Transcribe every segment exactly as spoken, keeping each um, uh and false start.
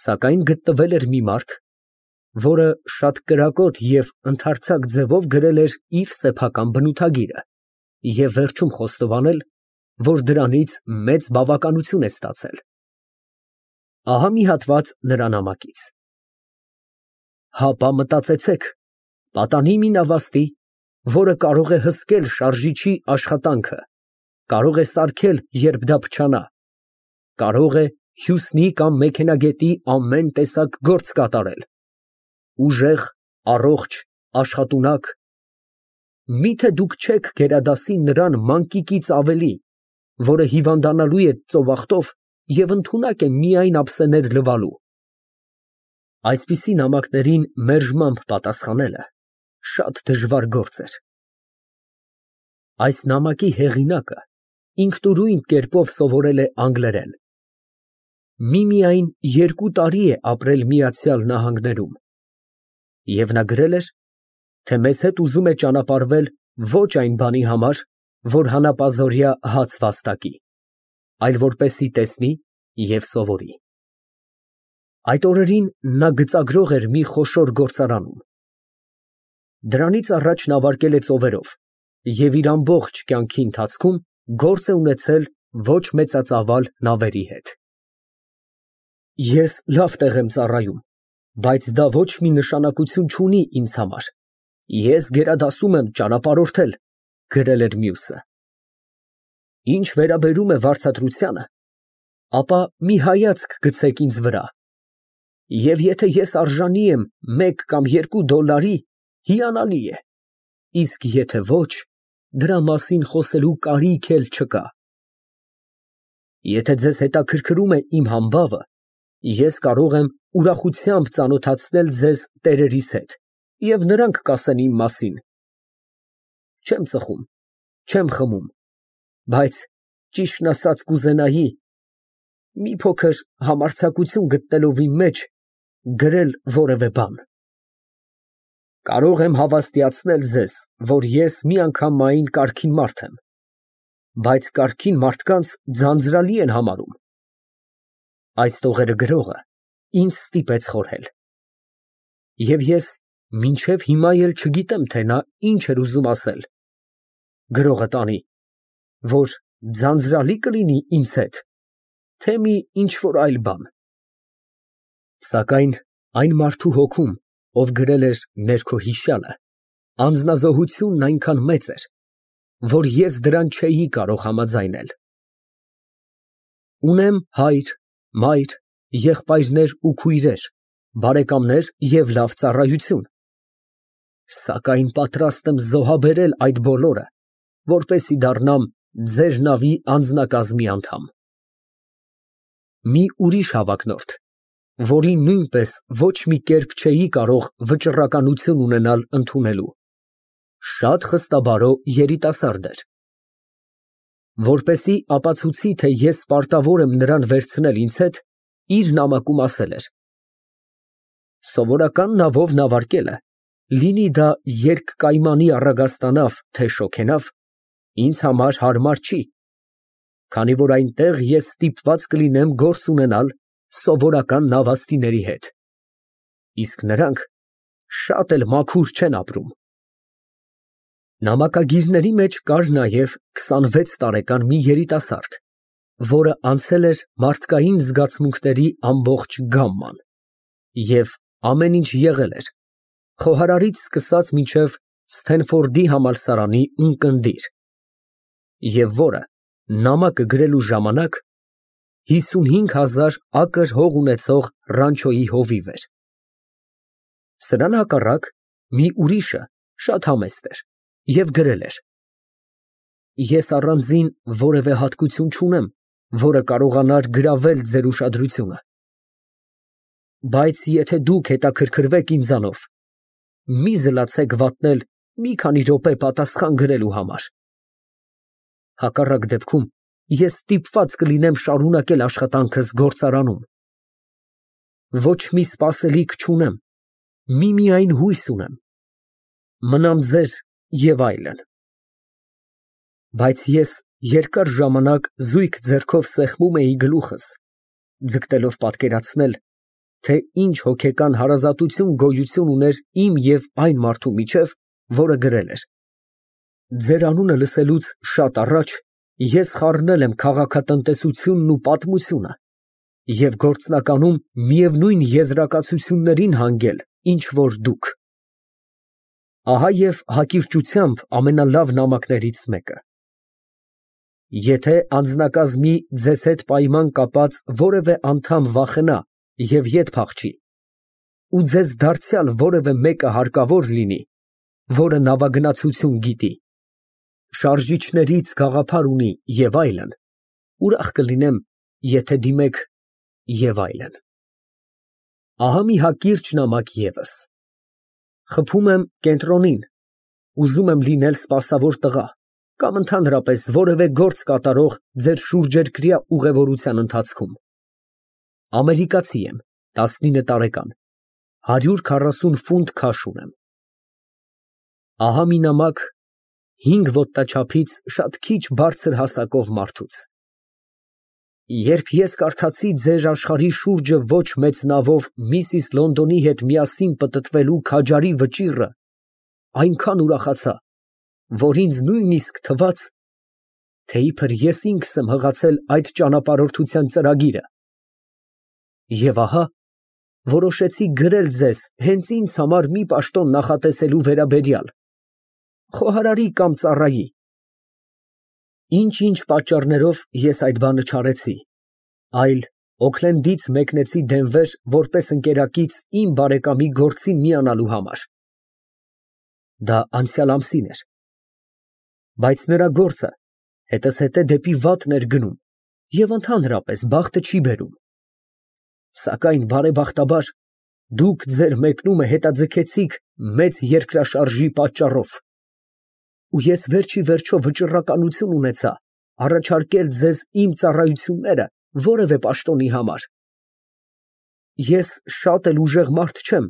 Սակայն գտնվել էր մի մարդ, որը շատ կրակոտ և ընդարձակ ձևով գրել էր իր սեփական բնութագիրը և վերջում խոստովանել, որ դրանից մեծ բավականություն է ստացել։ Ահա մի հատված նրա նամակից. Հապա մտածեցեք, պատանի մի նավաստի, որը կարող է հսկել շարժիչի աշխատանքը, կարող է սարքել, երբ դա փչանա, կարող է հյուսնի կամ մեքենագետի ամեն տեսակ գործ կատարել, ուժեղ, առողջ, աշխատունակ, միթե դուք չեք գերադասի նրան մանկիկից ավելի, որը հիվանդանալու է ծովախտով և ընդունակ է միայն ափսեներ լվալու։ Այսպիսի նամակներին մերժմամբ պատասխանելը շատ դժվար գործ էր։ Այս նամակի հեղինակը ինքնուրույն կերպով սովորել է անգլերեն։ Միմիայն երկու տարի է ապրել Միացյալ Նահանգներում, և նա գրել էր, թե մեզ հետ ուզում է ճանապարհվել ոչ այն բանի համար, որ հանապազօրյա հաց վաստակի, այլ որպեսզի տեսնի և սովորի։ Այդ օրերին նա գծագրող էր մի խոշոր գործարանում։ Դրանից առաջ նա վարկել է ծովերով և իր ամբողջ կյանքի ընթացքում գործ է ունեցել ոչ մեծածավալ նավերի հետ։ Ես լավ տեղ եմ ծառայում, բայց դա ոչ մի նշանակություն չունի ինձ համար, ես գերադասում եմ ճանապարհորդել, ֊ գրել էր մյուսը։ Ինչ վերաբերում է վարձատրությանը, ապա մի հայացք գցեք ինձ վրա, և եթե ես արժանի եմ մեկ կամ երկու դոլարի, հիանալի է, իսկ եթե ոչ, դրա մասին խոսելու կարիք էլ չկա։ Եթե ձեզ հետաքրքրում է իմ համբավը, ես կարող եմ ուրախությամբ ծանոթացնել ձեզ տերերիս հետ, և նրանք կասեն իմ մասին։ Չեմ ծխում, չեմ խմում, բայց ճիշտն ասած կուզենայի, մի փոքր համարձակություն գտնելով իմ մեջ, գրել որևէ բան։ Կարող եմ հավաստիացնել ձեզ, որ ես միանգամայն կարգին մարդ եմ, բայց կարգին մարդկանց ձանձրալի են համարում։ Այս տողերը գրողը ինձ ստիպեց խորհել։ Եվ ես մինչև հիմա էլ չգիտեմ, թե նա ինչ էր ուզում ասել։ Գրողը տանի, որ ձանձրալի կլինի ինձ հետ, թե մի ինչ֊որ այլ բան։ Սակայն այն մարդու հոգում, ով գրել էր ներքո հիշյալը, անձնազոհությունն այնքան մեծ էր, որ ես դրան չէի կարող համաձայնել։ Ունեմ հայր, մայր, եղբայրներ ու քույրեր, բարեկամներ և լավ ծառայություն, սակայն պատրաստ եմ զոհաբերել այդ բոլորը, որպեսզի դառնամ ձեր նավի անձնակազմի անդամ։ Մի ուրիշ հավակնորդ, որին նույնպես ոչ մի կերպ չէի կարող վճռականություն ունենալ ընդունելու, շատ խստաբարո երիտասարդ էր։ Որպեսզի ապացուցի, թե ես պարտավոր եմ նրան վերցնել ինձ հետ, իր նամակում ասել էր. «Սովորական նավով նավարկելը, լինի դա երկկայմանի առագաստանավ, թե շոգենավ, ինձ համար հարմար չի, քանի որ այնտեղ ես ստիպված կլինեմ գործ ունենալ սովորական նավաստիների հետ, իսկ նրանք շատ էլ մաքուր չեն ապրում»։ Նամակագիրների մեջ կար նաև քսանվեց տարեկան մի երիտասարդ, որը անցել էր մարդկային զգացմունքների ամբողջ գամման և ամեն ինչ եղել էր, խոհարարից սկսած մինչև Սթենֆորդի համալսարանի ունկնդիր, և որը նամակը գրելու ժամանակ հիսունհինգ հազար ակր հող ունեցող ռանչոյի հովիվ էր։ Սրան հակառակ մի ուրիշը շատ համեստ էր և գրել էր. «Ես առանձին որևէ հատկություն չունեմ, որը կարողանար գրավել ձեր ուշադրությունը, բայց եթե դուք հետաքրքրվեք ինձանով, մի զլացեք վատնել մի քանի րոպե պատասխան գրելու համար։ Հակառակ դեպքում ես ստիպված կլինեմ շարունակել աշխատանքս գործարանում։ Ոչ մի սպասելիք չունեմ, միմիայն հույս ունեմ։ Մնամ ձեր և այլն»։ Բայց ես երկար ժամանակ զույգ ձեռքով սեղմում էի գլուխս, ձգտելով պատկերացնել, թե ինչ հոգեկան հարազատություն գոյություն ուներ իմ և այն մարդու միջև, որը գրել էր. «Ձեր անունը լսելուց շատ առաջ ես խառնել եմ քաղաքատնտեսությունն ու պատմությունը և գործնականում միևնույն եզրակացություններին հանգել, ինչ որ դուք»։ Ահա և հակիրճությամբ ամենալավ նամակներից մեկը։ Եթե անձնակազմի ձեզ հետ պայման կապած որևէ անդամ վախենա և ետ փախչի, ու ձեզ դարձյալ որևէ մեկը հարկավոր լինի, որը նավագնացություն գիտի, շարժիչներից գաղափար ունի և այլն, ուրախ կլինեմ, եթե դիմեք և այլն։ Ահա մի հակիրճ նամակ ևս։ Խփում եմ կենտրոնին, ուզում եմ լինել սպասավոր տղա կամ ընդհանրապես որևէ գործ կատարող ձեր շուրջերկրյա ուղևորության ընթացքում։ Ամերիկացի եմ, տասնինը տարեկան, հարյուր քառասուն ֆունտ քաշ ունեմ։ Ահա մի նամակ հինգ ոտնաչափից շատ քիչ բարձր հասակով մարդուց։ Երբ ես կարդացի ձեր աշխարհի շուրջը ոչ մեծ նավով միսիս Լոնդոնի հետ միասին պտտվելու քաջարի վճիռը, այնքան ուրախացա, որ ինձ նույնիսկ թվաց, թե իբր ես ինքս եմ հղացել այդ ճանապարհորդության ծրագիրը։ Եվ ահա որոշեցի գրել ձեզ հենց ինձ համար մի պաշտոն նախատեսելու վերաբերյալ, խոհարարի կամ ծառայի։ Ինչ֊ինչ պատճառներով ես այդ բանը չարեցի, այլ Օքլենդից մեկնեցի Դենվեր որպես ընկերակից իմ բարեկամի գործին միանալու համար։ Դա անցյալ ամսին էր։ Բայց նրա գործը հետզհետե դեպի վատն էր գնում և ընդհանրապես բախտը չի բերում։ Սակայն բարեբախտաբար դուք ձեր մեկնումը հետաձգեցիք մեծ երկրաշարժի պատճառով, ու ես վերջիվերջո վճռականություն ունեցա առաջարկել ձեզ իմ ծառայությունները որևէ պաշտոնի համար։ Ես շատ էլ ուժեղ մարդ չեմ,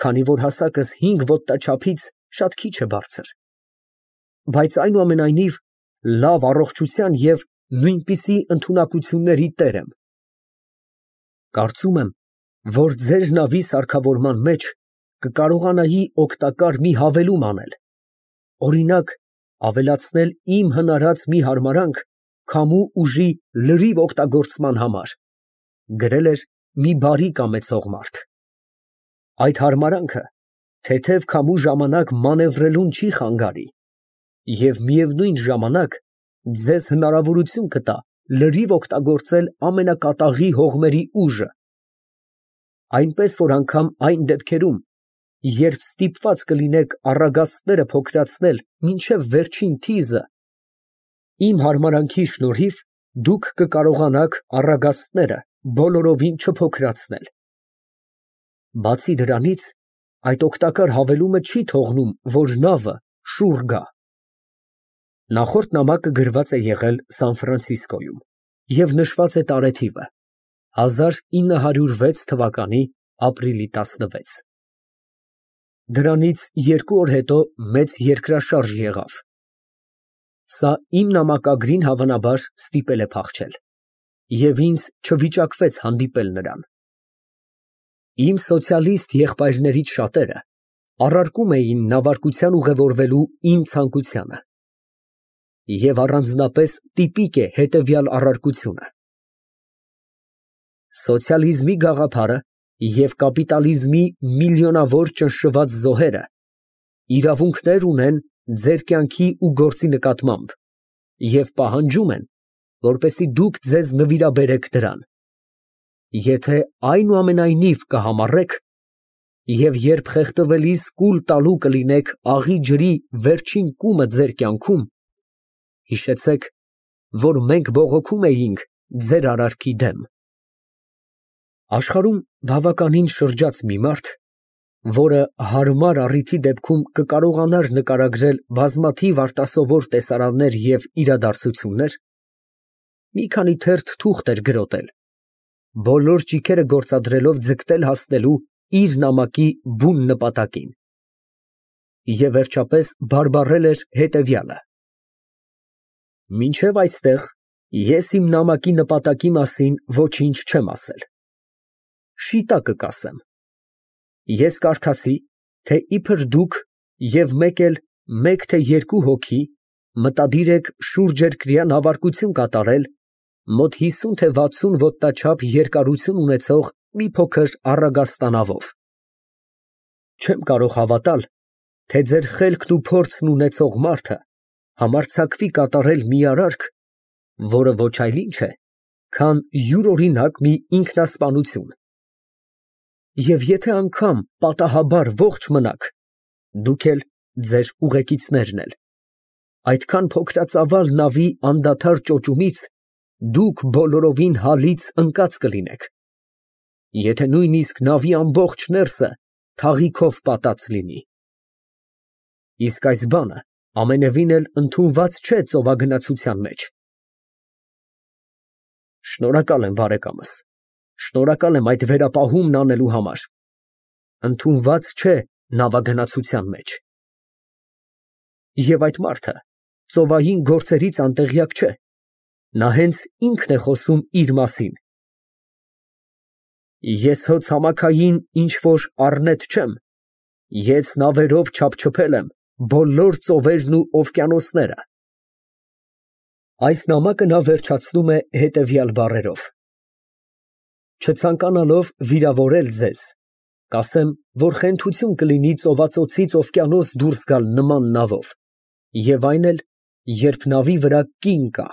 քանի որ հասակս հինգ ոտնաչափից շատ քիչ է բարձր, բայց այնուամենայնիվ լավ առողջության և նույնպիսի ընդունակությունների տեր եմ։ Կարծում եմ, որ ձեր նավի սարքավորման մեջ կկարողանայի օգտակար մի հավելում անել, օրինակ, ավելացնել իմ հնարած մի հարմարանք քամու ուժի լրիվ օգտագործման համար, գրել էր մի բարի կամեցող մարդ։ Այդ հարմարանքը թեթև քամու ժամանակ մանևրելուն չի խանգարի և միևնույն ժամանակ ձեզ հնարավորություն կտա լրիվ օգտագործել ամենակատաղի հողմերի ուժը, այնպես որ անգամ այն դեպքերում, երբ ստիպված կլինեք առագաստները փոքրացնել մինչև վերջին թիզը, իմ հարմարանքի շնորհիվ դուք կկարողանաք առագաստները բոլորովին չփոքրացնել։ Բացի դրանից, այդ օգտակար հավելումը չի թողնում, որ նավը շուռ գա։ Նախորդ նամակը գրված է եղել Սան Ֆրանցիսկոյում և նշված է տարեթիվը՝ հազար ինը հարյուր վեց թվականի ապրիլի տասնվեց։ Դրանից երկու օր հետո մեծ երկրաշարժ եղավ։ Սա իմ նամակագրին հավանաբար ստիպել է փախչել, և ինձ չվիճակվեց հանդիպել նրան։ Իմ սոցիալիստ եղբայրներից շատերը առարկում էին նավարկության ուղևորվելու իմ ցանկությանը։ Եվ առանձնապես տիպիկ է հետևյալ առարկությունը. «Սոցիալիզմի գաղափարը և կապիտալիզմի միլիոնավոր ճնշված զոհերը իրավունքներ ունեն ձեր կյանքի ու գործի նկատմամբ և պահանջում են, որպեսզի դուք ձեզ նվիրաբերեք դրան։ Եթե այնուամենայնիվ կհամառեք, և երբ խեղդվելիս կուլ տալու կլինեք աղի ջրի վերջին կումը ձեր կյանքում, հիշեցեք, որ մենք բողոքում էինք ձեր արարքի դեմ»։ Աշխարհում բավականին շրջաց մի մարդ, որը հարմար առիթի դեպքում կկարողանար նկարագրել բազմաթիվ արտասովոր տեսարաններ և իրադարձություններ, մի քանի թերթ թուղթ էր գրոտել, բոլոր ճիգերը գործադրելով ձգտել հասնելու իր նամակի բուն նպատակին, և վերջապես բարբառել էր հետևյալը. «Մինչև այստեղ ես իմ նամակի նպատակի մասին ոչինչ չեմ ասել։ շիտակը կասեմ։ Ես կարդացի, թե իբր դուք և մեկ էլ մեկ թե երկու հոգի մտադիր եք շուրջերկրյա նավարկություն կատարել մոտ հիսուն թե վաթսուն ոտնաչափ երկարություն ունեցող մի փոքր առագաստանավով։ Չեմ կարող հավատալ, թե ձեր խելքն ու փորձն ունեցող մարդը համարձակվի կատարել մի արարք, որը ոչ այլ ինչ է, քան յուրօրինակ մի ինքնասպանություն։ Եվ եթե անգամ պատահաբար ողջ մնաք, դուք էլ, ձեր ուղեկիցներն էլ, այդքան փոքրածավալ նավի անդադար ճոճումից դուք բոլորովին հալից ընկած կլինեք, եթե նույնիսկ նավի ամբողջ ներսը թաղիքով պատած լինի։ Իսկ այս բանը ամենևին էլ ընդունված չէ ծովագնացության մեջ։ Շնորհակալ եմ, բարեկամս, շնորհակալ եմ այդ վերապահումն անելու համար։ Ընդունված չէ նավագնացության մեջ։ Եվ այդ մարդը ծովային գործերից անտեղյակ չէ, նա հենց ինքն է խոսում իր մասին։ Ես հո ցամաքային ինչ որ առնետ չեմ, ես նավերով չափչփել եմ բոլոր ծովերն ու օվկիանոսները։ Այս նամակը նա վերջացնում է հետևյալ բառերով. Չցանկանալով վիրավորել ձեզ, կասեմ, որ խենթություն կլինի ծովածոցից օվկիանոս դուրս գալ նման նավով, և այն էլ, երբ նավի վրա կին կա։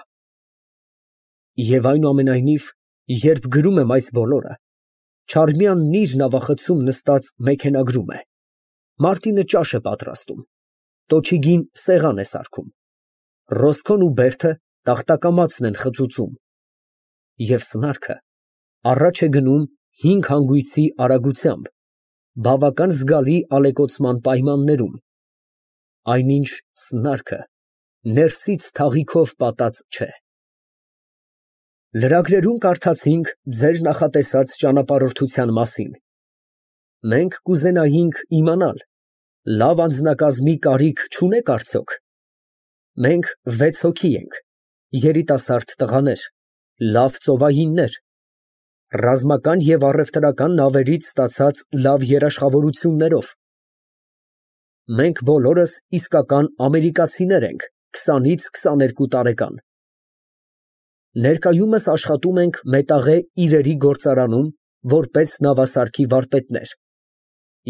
Եվ այնուամենայնիվ, երբ գրում եմ այս բոլորը, Չարմյանն իր նավախցում նստած մեքենագրում է, Մարտինը ճաշ է պատրաստում, Տոչիգին սեղան է սարքում, Ռոսկոն ու Բերդը տախտակամածն են խծուծում, և սնարքը առաջ է գնում հինգ հանգույցի արագությամբ, բավական զգալի ալեկոծման պայմաններում, այնինչ սնարքը ներսից թաղիքով պատած չէ։ Լրագրերում կարդացինք ձեր նախատեսած ճանապարհորդության մասին։ Մենք կուզենայինք իմանալ, լավ անձնակազմի կարիք չունեք արդյոք։ Մենք վեց հոգի ենք, երիտասարդ տղաներ, լավ ծովայիններ, ռազմական և առևտրական նավերից ստացած լավ երաշխավորություններով։ Մենք բոլորս իսկական ամերիկացիներ ենք, քսանից քսաներկու տարեկան։ Ներկայումս աշխատում ենք մետաղե իրերի գործարանում որպես նավասարքի վարպետներ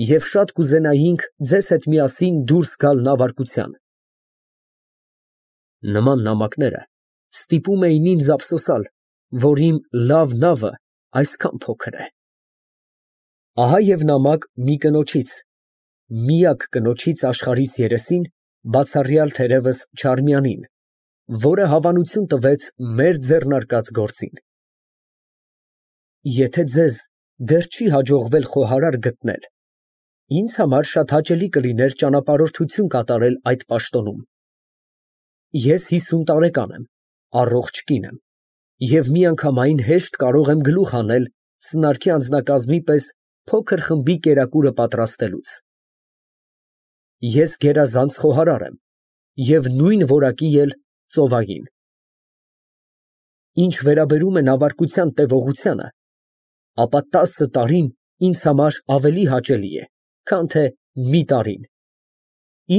և շատ կուզենայինք ձեզ հետ միասին դուրս գալ նավարկության։ Նման նամակները ստիպում էին ինձ ափսոսալ, որ իմ լավ նավը այսքան փոքր է։ Ահա և նամակ մի կնոջից, միակ կնոջից աշխարհիս երեսին, բացառյալ թերևս Չարմյանին, որը հավանություն տվեց մեր ձեռնարկած գործին։ Եթե ձեզ դեռ չի հաջողվել խոհարար գտնել, ինձ համար շատ հաճելի կլիներ ճանապարհորդություն կատարել այդ պաշտոնում։ Ես հիսուն տարեկան եմ, առողջ կին եմ և միանգամայն հեշտ կարող եմ գլուխ հանել սնանկի անձնակազմի պես փոքր խմբի կերակուրը պատրաստելուց։ Ես գերազանց խոհարար եմ և նույն որակի էլ ծովային։ Ինչ վերաբերում է նավարկության տևողությանը, ապա տասը տարին ինձ համար ավելի հաճելի է, քան թե մի տարին,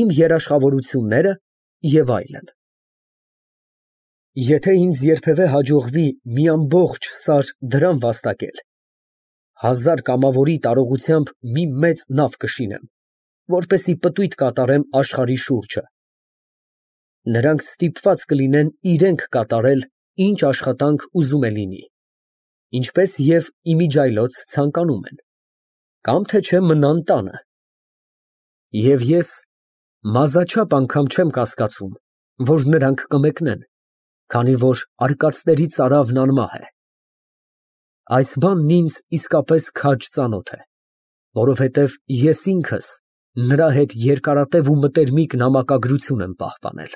իմ երաշխավորությունները և այլն։ Եթե ինձ երբևէ հաջողվի մի ամբողջ սար դրամ վաստակել, հազար կամավորի տարողությամբ մի մեծ նավ կշինեմ, որպեսզի պտույտ կատարեմ աշխարհի շուրջը։ Նրանք ստիպված կլինեն իրենք կատարել, ինչ աշխատանք ուզում է լինի, ինչպես և իմիջիայլոց ցանկանում են, կամ թե չէ մնան տանը։ Եվ ես մազաչափ անգամ չեմ կասկածում, որ նրանք կմեկնեն, քանի որ արկածների ծարավն անմահ է։ Այս բանն ինձ իսկապես քաջ ծանոթ է, որովհետև ես ինքս նրա հետ երկարատև ու մտերմիկ նամակագրություն եմ պահպանել։